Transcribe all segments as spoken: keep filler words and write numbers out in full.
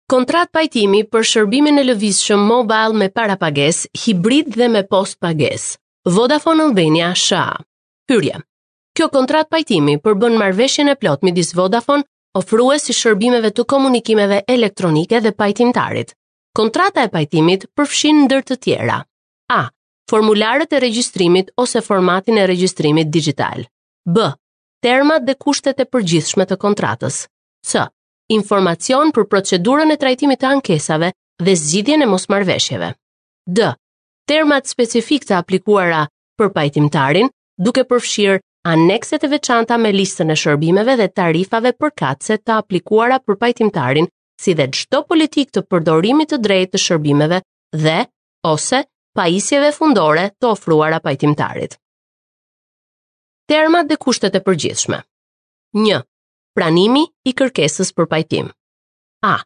Kontratë pajtimi për shërbimin e lëvizshëm mobile me parapagesë, hibrid dhe me postpagesë. Vodafone Albania S A. Hyrje. Kjo kontratë pajtimi përbën marrëveshjen e plotë midis Vodafone, ofrues i shërbimeve të komunikimeve elektronike, dhe pajtimtarit. Kontrata e pajtimit përfshin ndër të tjera: A. Formularët e regjistrimit ose formatin e regjistrimit digital. B. Termat dhe kushtet e përgjithshme të kontratës. C. Informacion për procedurën e trajtimit të ankesave dhe zgjidhjen e mosmarrëveshjeve. D. Termat specifik të aplikuara për pajtimtarin, duke përfshirë anekset e veçanta me listën e shërbimeve dhe tarifave përkatëse të aplikuara për pajtimtarin, si dhe çdo politikë të përdorimit të drejtë të shërbimeve dhe ose pajisjeve fundore të ofruara pajtimtarit. Termat dhe kushtet e përgjithshme. një. Pranimi i kërkesës për pajtim. A.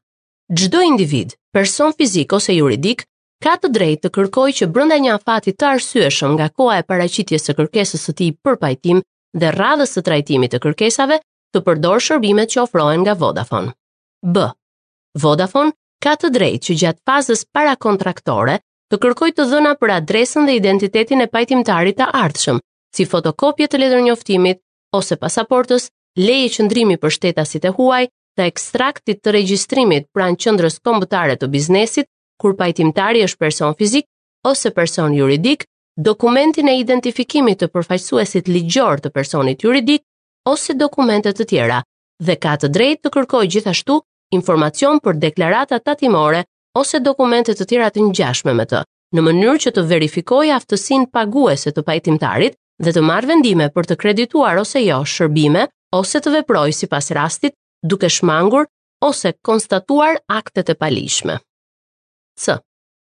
Çdo individ, person fizik ose juridik, ka të drejtë të kërkojë që brenda një afati të arsyeshëm nga koha e paraqitjes së kërkesës së tij për pajtim dhe radhës së trajtimit të kërkesave, të përdorë shërbimet që ofrohen nga Vodafone. B. Vodafone ka të drejtë që gjatë fazës parakontraktore të kërkojë të dhëna për adresën dhe identitetin e pajtimtarit të ardhshëm, si fotokopje të letërnjoftimit ose pasaportës, leje qëndrimi për shtetasit e huaj, të ekstraktit të regjistrimit pranë qendrës kombëtare të biznesit, kur pajtimtari është person fizik ose person juridik, dokumentin e identifikimit të përfaqësuesit ligjor të personit juridik ose dokumente të tjera, dhe ka të drejtë të kërkojë gjithashtu informacion për deklarata tatimore ose dokumente të tjera të ngjashme me të, në mënyrë që të verifikojë aftësinë paguese të pajtimtarit dhe të marrë vendime për të kredituar ose jo shërbime ose të veprojë sipas rastit, duke shmangur ose konstatuar aktet e paligjshme. C.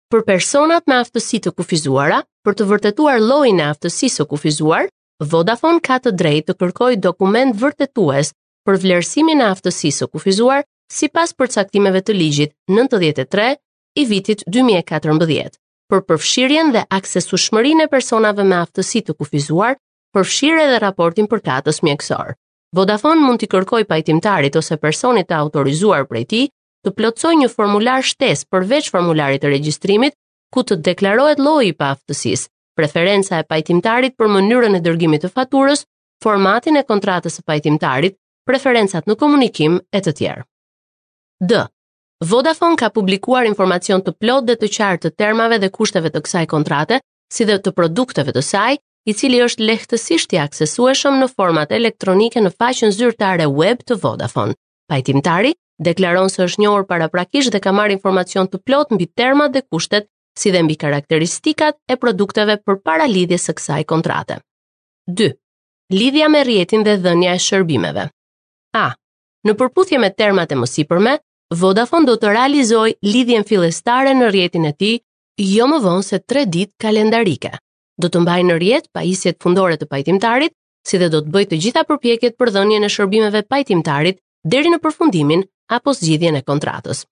Për personat me aftësi të kufizuara, për të vërtetuar llojin e aftësisë së kufizuar, Vodafone ka të drejtë të kërkojë dokument vërtetues për vlerësimin e aftësisë së kufizuar sipas përcaktimeve të ligjit nëntëdhjetë e tre i vitit dy mijë e katërmbëdhjetë për përfshirjen dhe aksesueshmërinë e personave me aftësi të kufizuar, përfshirë edhe raportin përkatës mjekësor. Vodafone mund t'i kërkojë pajtimtarit ose personit të autorizuar prej tij të plotësojë një formular shtesë përveç formularit të regjistrimit, ku të deklarohet lloji i paaftësisë, preferenca e pajtimtarit për mënyrën e dërgimit të faturës, formatin e kontratës së pajtimtarit, preferencat në komunikim e të tjerë. D. Vodafone ka publikuar informacion të plotë dhe të qartë të termave dhe kushteve të kësaj kontrate, si dhe të produkteve të saj, i cili është lehtësisht i aksesueshëm në format elektronike në faqen zyrtare web të Vodafone. Pajtimtari deklaron se është njohur paraprakisht dhe ka marrë informacion të plotë mbi termat dhe kushtet, si dhe mbi karakteristikat e produkteve përpara lidhjes së kësaj kontrate. dy. Lidhja me rrjetin dhe dhënia e shërbimeve. A. Në përputhje me termat e mësipërme, Vodafone do të realizojë lidhjen fillestare në rrjetin e tij jo më vonë se tre ditë kalendarike. Do të mbajë në rrjet pajisjet fundore të pajtimtarit, si dhe do të bëjë të gjitha përpjekjet për dhënien e shërbimeve pajtimtarit deri në përfundimin apo zgjidhjen e kontratës.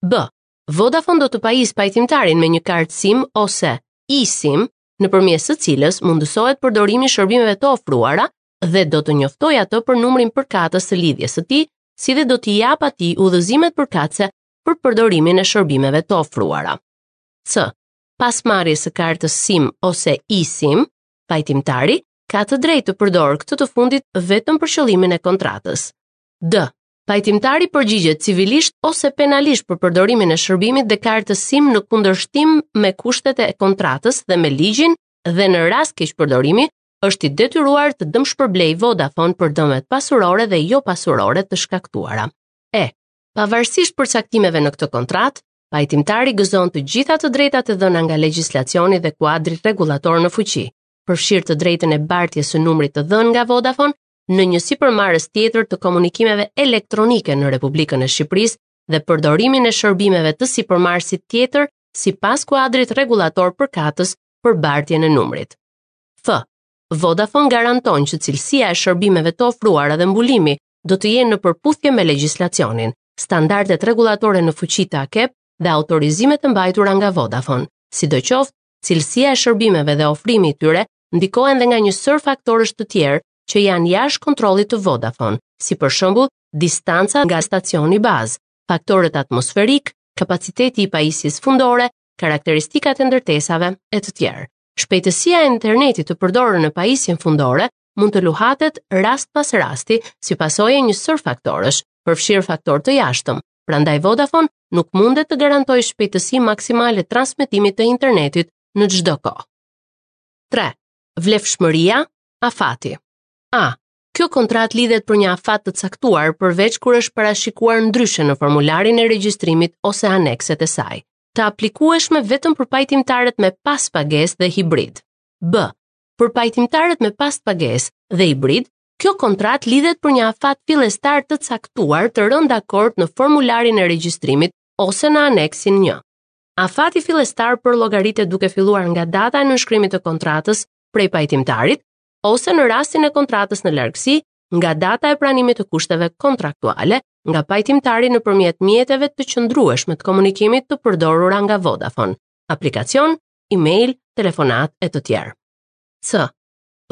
B. Vodafone do të pajisë pajtimtarin me një kartë SIM ose eSIM, nëpërmjet së cilës mundësohet përdorimi i shërbimeve të ofruara, dhe do të njoftojë atë për numrin përkatës të lidhjes së tij, si dhe do t'i jap atij udhëzimet përkatëse për përdorimin e shërbimeve të ofruara. C. Pas marrjes së kartës SIM ose eSIM, pajtimtari ka të drejtë të përdorë këtë të fundit vetëm për qëllimin e kontratës. D. Pajtimtari përgjigjet civilisht ose penalisht për përdorimin e shërbimit dhe kartës SIM në kundërshtim me kushtet e kontratës dhe me ligjin, dhe në rast keq përdorimi është i detyruar të dëmshpërblej Vodafone për dëmet pasurore dhe jo pasurore të shkaktuara. E. Pavarësisht përcaktimeve në këtë kontratë, pajtimtari gëzon të gjitha të drejtat e dhëna nga legjislacioni dhe kuadri rregullator në fuqi, përfshirë të drejtën e bartjes së numrit të dhënë nga Vodafone në një sipërmarrës tjetër të komunikimeve elektronike në Republikën e Shqipërisë dhe përdorimin e shërbimeve të sipërmarrësit tjetër sipas kuadrit rregullator përkatës për bartjen e numrit. F. Vodafone garanton që cilësia e shërbimeve të ofruara dhe mbulimi do të jenë në përputhje me legjislacionin, standardet rregullatore në fuqi të AKEP dhe autorizimet e mbajtura nga Vodafone. Sidoqoftë, cilësia e shërbimeve dhe ofrimi i tyre ndikohen dhe nga një sërë faktorësh të tjerë që janë jashtë kontrollit të Vodafone, si për shembull distanca nga stacioni bazë, faktorët atmosferik, kapaciteti i pajisjes fundore, karakteristikat e ndërtesave e të tjerë. Shpejtësia e internetit të përdorur në pajisjen fundore mund të luhatet rast pas rasti si pasojë e një sër faktorësh, përfshirë faktorë të jashtëm. Prandaj Vodafone nuk mundet të garantojë shpejtësi maksimale transmetimit të internetit në çdo kohë. tre. Vlefshmëria, afati. A. Kjo kontratë lidhet për një afat të caktuar përveç kur është parashikuar ndryshe në formularin e regjistrimit ose anekset e saj, të aplikueshme vetëm për pajtimtarët me pas pagesë dhe hibrid. B. Për pajtimtarët me pas pagesë dhe hibrid, kjo kontratë lidhet për një afat fillestar të caktuar të rënë dakord në formularin e regjistrimit ose në aneksin një. Afati fillestar për llogaritet duke filluar nga data e nënshkrimit të kontratës prej pajtimtarit ose në rastin e kontratës në largësi nga data e pranimit të kushteve kontraktuale nga pajtimtari nëpërmjet mjeteve të qëndrueshme të komunikimit të përdorura nga Vodafone, aplikacion, email, telefonat e të tjerë. C.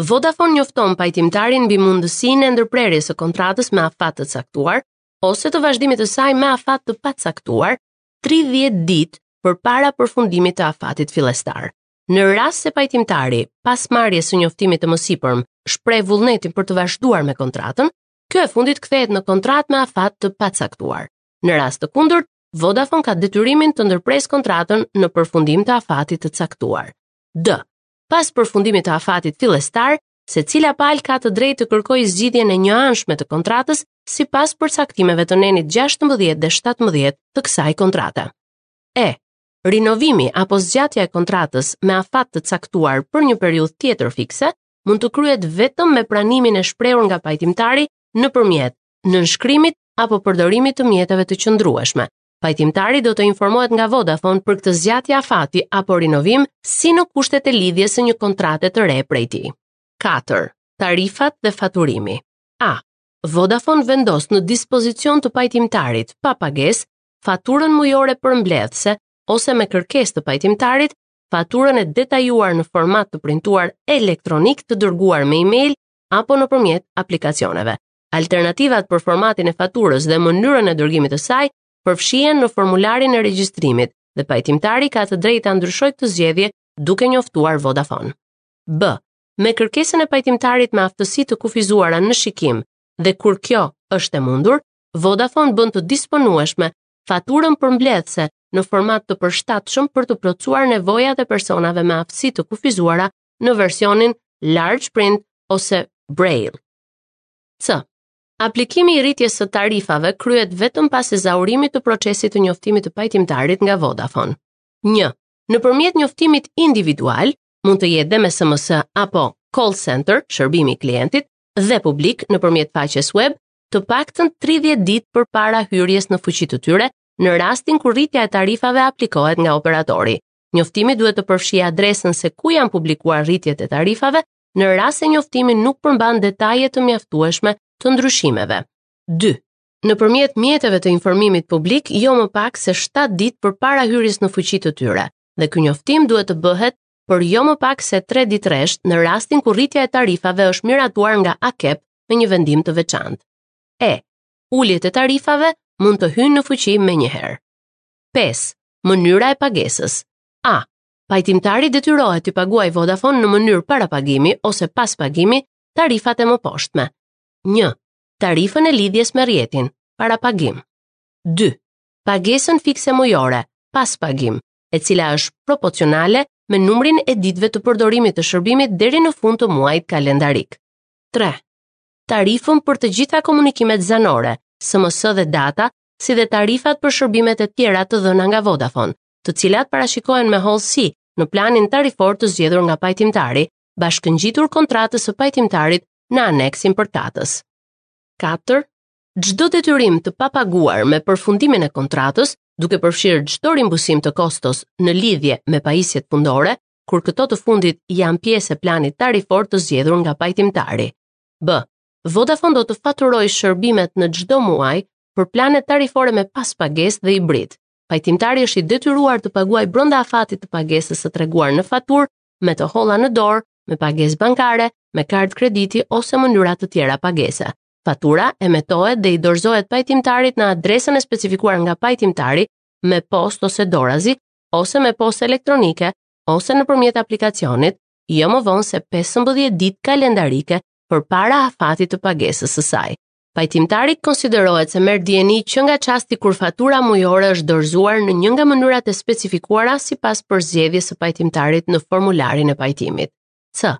Vodafone njofton pajtimtarin mbi mundësinë e ndërprerjes së kontratës me afat të caktuar ose të vazhdimit të saj me afat të pacaktuar tridhjetë ditë përpara përfundimit të afatit fillestar. Në rast se pajtimtari, pas marrjes së njoftimit të mësipërm, shpreh vullnetin për të vazhduar me kontratën, kjo e fundit kthehet në kontratë me afat të pacaktuar. Në rast të kundërt, Vodafone ka detyrimin të ndërpresë kontratën në përfundim të afatit të caktuar. D. Pas përfundimit të afatit fillestar, secila palë ka të drejtë të kërkojë zgjidhjen e njëanshme të kontratës sipas përcaktimeve të nenit gjashtëmbëdhjetë dhe shtatëmbëdhjetë të kësaj kontrate. E. Rinovimi apo zgjatja e kontratës me afat të caktuar për një periudhë tjetër fikse mund të kryhet vetëm me pranimin e shprehur nga pajtimtari nëpërmjet nënshkrimit apo përdorimit të mjeteve të qëndrueshme. Pajtimtari do të informohet nga Vodafone për këtë zgjatje afati apo rinovim si në kushtet e lidhjes së një kontrate të re prej tij. katër. Tarifat dhe faturimi. A. Vodafone vendos në dispozicion të pajtimtarit pa pagesë faturën mujore përmbledhëse ose me kërkesë të pajtimtarit, faturën e detajuar në format të printuar elektronik të dërguar me email apo nëpërmjet aplikacioneve. Alternativat për formatin e faturës dhe mënyrën e dërgimit të saj përfshihen në formularin e regjistrimit dhe pajtimtari ka të drejtë ta ndryshojë këtë zgjedhje duke njoftuar Vodafone. B. Me kërkesën e pajtimtarit me aftësi të kufizuara në shikim dhe kur kjo është e mundur, Vodafone bën të disponueshme faturën përmbledhëse në format të përshtatshëm për të plotësuar nevojat e personave me aftësi të kufizuara në versionin large print ose braille. C. Aplikimi i rritjes së tarifave kryhet vetëm pas ezaurimit të procesit të njoftimit të pajtimtarit nga Vodafone. një. Nëpërmjet njoftimit individual, mund të jetë dhe me S M S apo call center, shërbimi i klientit, dhe publik nëpërmjet faqes web, të paktën tridhjetë ditë përpara hyrjes në fuqi të tyre, në rastin kur rritja e tarifave aplikohet nga operatori. Njoftimi duhet të përfshijë adresën se ku janë publikuar rritjet e tarifave, në rast se njoftimi nuk përmban detaje të mjaftueshme të ndryshimeve. dy. Nëpërmjet mjeteve të informimit publik, jo më pak se shtatë ditë përpara hyrjes në fuqi të tyre, dhe ky njoftim duhet të bëhet për jo më pak se tre ditë rresht në rastin kur rritja e tarifave është miratuar nga A K E P me një vendim të veçantë. E. Uljet e tarifave mund të hyjnë në fuqi menjëherë. pesë. Mënyra e pagesës. A. Pajtimtari detyrohet t'i paguajë Vodafone në mënyrë parapagimi ose pas pagimi tarifat e mëposhtme. një. Tarifën e lidhjes me rrjetin, parapagim. dy. Pagesën fikse mujore, pas pagim, e cila është proporcionale me numrin e ditëve të përdorimit të shërbimit deri në fund të muajit kalendarik. tre. Tarifën për të gjitha komunikimet zanore, S M S dhe data, si dhe tarifat për shërbimet e tjera të dhëna nga Vodafone, të cilat parashikohen me hollësi në planin tarifor të zgjedhur nga pajtimtari, bashkëngjitur kontratës së pajtimtarit në aneksin përkatës. katër. Çdo detyrim të papaguar me përfundimin e kontratës, duke përfshirë çdo rimbursim të kostos në lidhje me pajisjet fundore, kur këto të fundit janë pjesë e planit tarifor të zgjedhur nga pajtimtari. B. Vodafone do të faturojë shërbimet në çdo muaj për planet tarifore me paspagesë dhe hibrid. Pajtimtari është i detyruar të paguajë brenda afatit të pagesës së treguar në faturë, me të holla në dorë, me pagesë bankare, me kartë krediti ose mënyra të tjera pagese. Fatura emetohet dhe i dorëzohet pajtimtarit në adresën e specifikuar nga pajtimtari me postë ose dorazi, ose me postë elektronike, ose nëpërmjet aplikacionit, jo më vonë se pesëmbëdhjetë ditë kalendarike përpara afatit të pagesës së saj. Pajtimtari konsiderohet se merr dijeni që nga çasti kur fatura mujore është dorëzuar në një nga mënyrat e specifikuara sipas përzgjedhjes së pajtimtarit në formularin e pajtimit. C.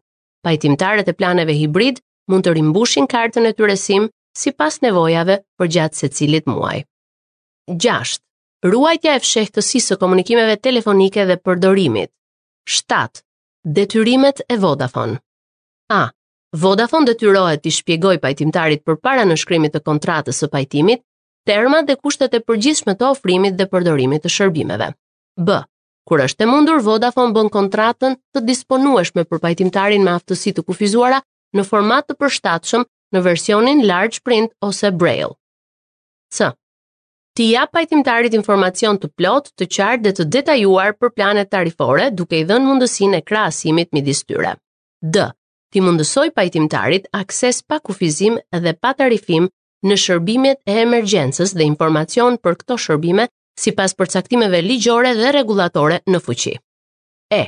Pajtimtarët e planeve hibrid mund të rimbushin kartën e tyre SIM sipas nevojave përgjatë secilit muaj. Gjashtë. Ruajtja e fshehtësisë së komunikimeve telefonike dhe përdorimit. Shtatë. Detyrimet e Vodafone. A. Vodafone detyrohet t'i shpjegojë pajtimtarit përpara nënshkrimit të kontratës së pajtimit termat dhe kushtet e përgjithshme të ofrimit dhe përdorimit të shërbimeve. B. Kur është e mundur, Vodafone bën kontratën të disponueshme për pajtimtarin me aftësi të kufizuara në format të përshtatshëm në versionin large print ose braille. C. T'i jap pajtimtarit informacion të plotë, të qartë dhe të detajuar për planet tarifore, duke i dhënë mundësinë e krahasimit midis tyre. D. T'i mundësoj pajtimtarit akses pa kufizim dhe pa tarifim në shërbimet e emergjencës dhe informacion për këto shërbime sipas përcaktimeve ligjore dhe rregullatore në fuqi. E.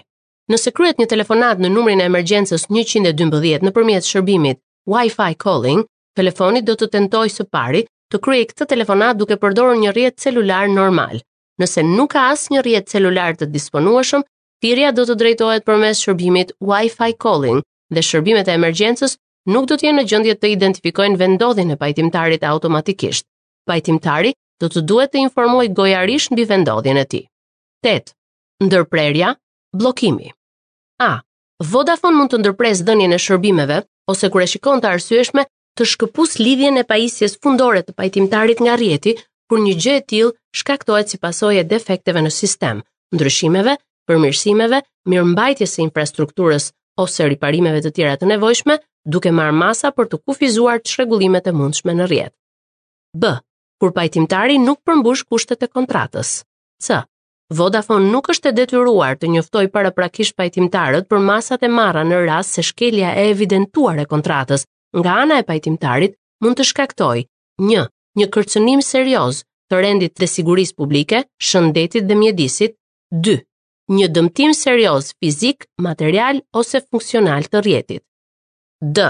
Nëse kryet një telefonat në numrin e emergjencës njëqind e dymbëdhjetë nëpërmjet shërbimit Wi-Fi calling, telefoni do të tentojë së pari të kryejë këtë telefonat duke përdorur një rrjet celular normal. Nëse nuk ka asnjë rrjet celular të disponueshëm, thirrja do të drejtohet përmes shërbimit Wi-Fi calling dhe shërbimet e emergjencës nuk do të jenë në gjendje të identifikojnë vendodhjen e pajtimtarit automatikisht. Pajtimtari do të duhet të informojë gojarisht mbi vendodhjen e tij. Tetë. Ndërprerja, bllokimi. A. Vodafone mund të ndërpresë dhënien e shërbimeve ose kur e shikon të arsyeshme të shkëpus lidhjen e pajisjes fundore të pajtimtarit nga rrjeti, kur një gjë e tillë shkaktohet si pasojë e defekteve në sistem, ndryshimeve, përmirësimeve, mirëmbajtjes së infrastrukturës ose riparimeve të tjera të nevojshme, duke marrë masa për të kufizuar çrregullimet e mundshme në rrjet. B. Kur pajtimtari nuk përmbush kushtet e kontratës. C. Vodafone nuk është e detyruar të njoftojë paraprakisht pajtimtarët për masat e marra në rast se shkelja e evidentuar e kontratës nga ana e pajtimtarit mund të shkaktojë një. Një kërcënim serioz të rendit dhe sigurisë publike, shëndetit dhe mjedisit. Dy. Një dëmtim serioz fizik, material ose funksional të rrjetit. D.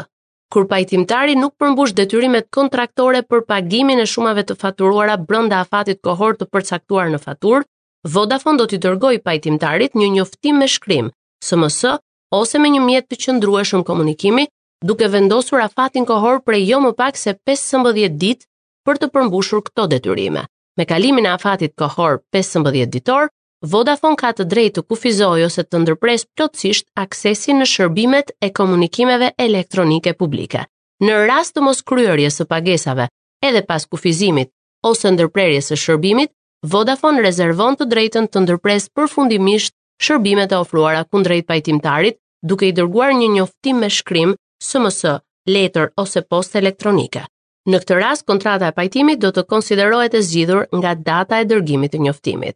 Kur pajtimtari nuk përmbush detyrimet kontraktore për pagimin e shumave të faturuara brenda afatit kohor të përcaktuar në faturë, Vodafone do t'i dërgojë pajtimtarit një njoftim me shkrim, S M S ose me një mjet të qëndrueshëm komunikimi, duke vendosur afatin kohor prej jo më pak se pesëmbëdhjetë ditë për të përmbushur këto detyrime. Me kalimin e afatit kohor pesëmbëdhjetë ditor, Vodafone ka të drejtë të kufizojë ose të ndërpresë plotësisht aksesin në shërbimet e komunikimeve elektronike publike. Në rast të mos kryerjes së pagesave, edhe pas kufizimit ose ndërprerjes së shërbimit, Vodafone rezervon të drejtën të ndërpresë përfundimisht shërbimet e ofruara kundrejt pajtimtarit, duke i dërguar një njoftim me shkrim, S M S, letër ose postë elektronike. Në këtë rast, kontrata e pajtimit do të konsiderohet e zgjidhur nga data e dërgimit të njoftimit.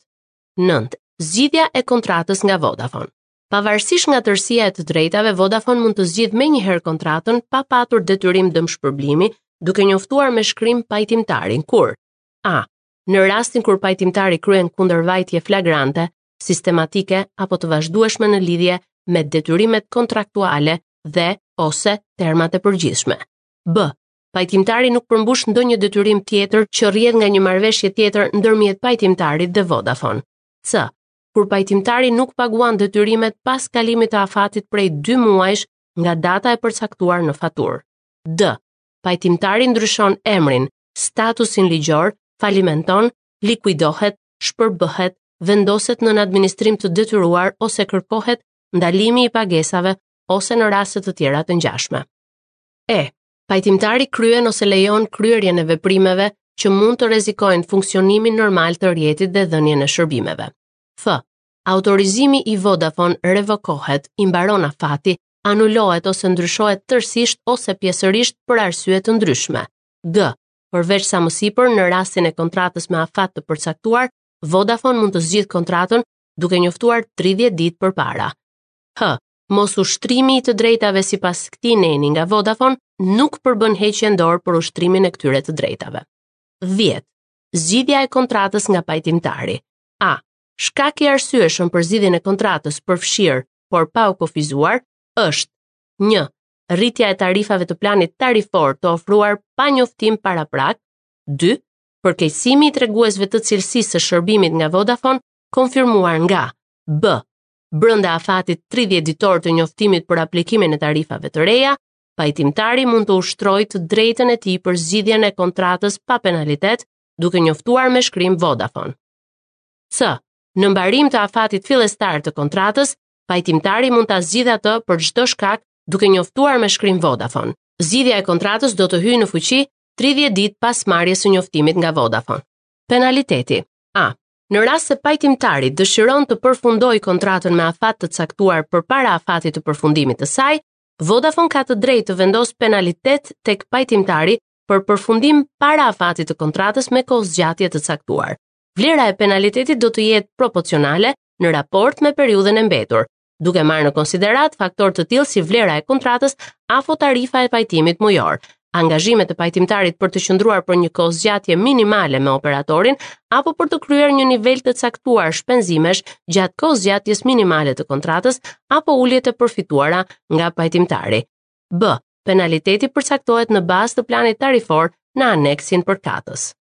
Nëntë. Zgjidhja e kontratës nga Vodafone. Pavarësisht nga tërësia e të drejtave, Vodafone mund të zgjidhë menjëherë kontratën pa patur detyrim dëmshpërblimi, duke njoftuar me shkrim pajtimtarin kur A. Në rastin kur pajtimtari kryen kundërvajtje flagrante, sistematike apo të vazhdueshme në lidhje me detyrimet kontraktuale dhe ose termat e përgjithshme. B. Pajtimtari nuk përmbush ndonjë detyrim tjetër që rrjedh nga një marrëveshje tjetër ndërmjet pajtimtarit dhe Vodafone. C. Kur pajtimtari nuk paguan detyrimet pas kalimit të afatit prej dy muajsh nga data e përcaktuar në faturë. D. Pajtimtari ndryshon emrin, statusin ligjor, falimenton, likuidohet, shpërbëhet, vendoset nën administrim të detyruar ose kërkohet ndalimi i pagesave ose në raste të tjera të ngjashme. E. Pajtimtari kryen ose lejon kryerjen e veprimeve që mund të rrezikojnë funksionimin normal të rrjetit dhe dhënien e shërbimeve. F. Autorizimi i Vodafone revokohet, i mbaron afati, anulohet ose ndryshohet tërësisht ose pjesërisht për arsye të ndryshme. G. Përveç sa më sipër, në rastin e kontratës me afat të përcaktuar, Vodafone mund të zgjidhë kontratën duke njoftuar tridhjetë ditë përpara. H. Mosushtrimi i të drejtave sipas këtij neni nga Vodafone nuk përbën heqjen dorë për ushtrimin e këtyre të drejtave. dhjetë. Zgjidhja e kontratës nga pajtimtari. A. Shkak i arsyeshëm për zgjidhjen e kontratës përfshirë, por pa u kufizuar, është një. Rritja e tarifave të planit tarifor të ofruar pa njoftim paraprak. dy. Përkeqësimi i treguesve të cilësisë së shërbimit nga Vodafone, konfirmuar nga B. Brenda afatit tridhjetë ditor të njoftimit për aplikimin e tarifave të reja, pajtimtari mund të ushtrojë të drejtën e tij për zgjidhjen e kontratës pa penalitet, duke njoftuar me shkrim Vodafone. C. Në mbarim të afatit fillestar të kontratës, pajtimtari mund ta zgjidhë atë për çdo shkak duke njoftuar me shkrim Vodafone. Zgjidhja e kontratës do të hyjë në fuqi tridhjetë ditë pas marrjes së njoftimit nga Vodafone. Penaliteti. A. Në rast se pajtimtari dëshiron të përfundojë kontratën me afat të caktuar përpara afatit të përfundimit të saj, Vodafone ka të drejtë të vendosë penalitet tek pajtimtari për përfundim para afatit të kontratës me kohëzgjatje të caktuar. Vlera e penalitetit do të jetë proporcionale në raport me periudhën e mbetur, duke marrë në konsiderat faktor të tillë si vlera e kontratës apo tarifa e pajtimit mujor, angazhimet e pajtimtarit për të qëndruar për një kohëzgjatje minimale me operatorin apo për të kryer një nivel të caktuar shpenzimesh gjatë kohëzgjatjes minimale të kontratës apo uljet e përfituara nga pajtimtari. B. Penaliteti përcaktohet në bazë të planit tarifor në aneksin përkatës.